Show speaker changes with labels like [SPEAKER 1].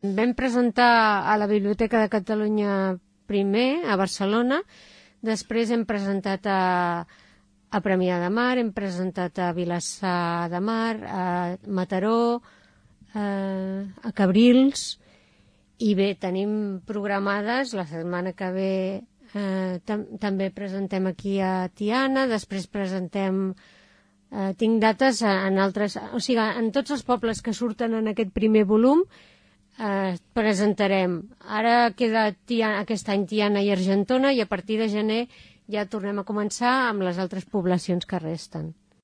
[SPEAKER 1] Vam presentar a la Biblioteca de Catalunya primer, a Barcelona, després hem presentat a Premià de Mar, hem presentat a Vilassar de Mar, a Mataró, a Cabrils, i bé, tenim programades, la setmana que ve també presentem aquí a Tiana, després presentem, tinc dates en altres, o sigui, en tots els pobles que surten en aquest primer volum, presentarem. Ara queda aquest any Tiana i Argentona i a partir de gener ja tornem a començar amb les altres poblacions que resten.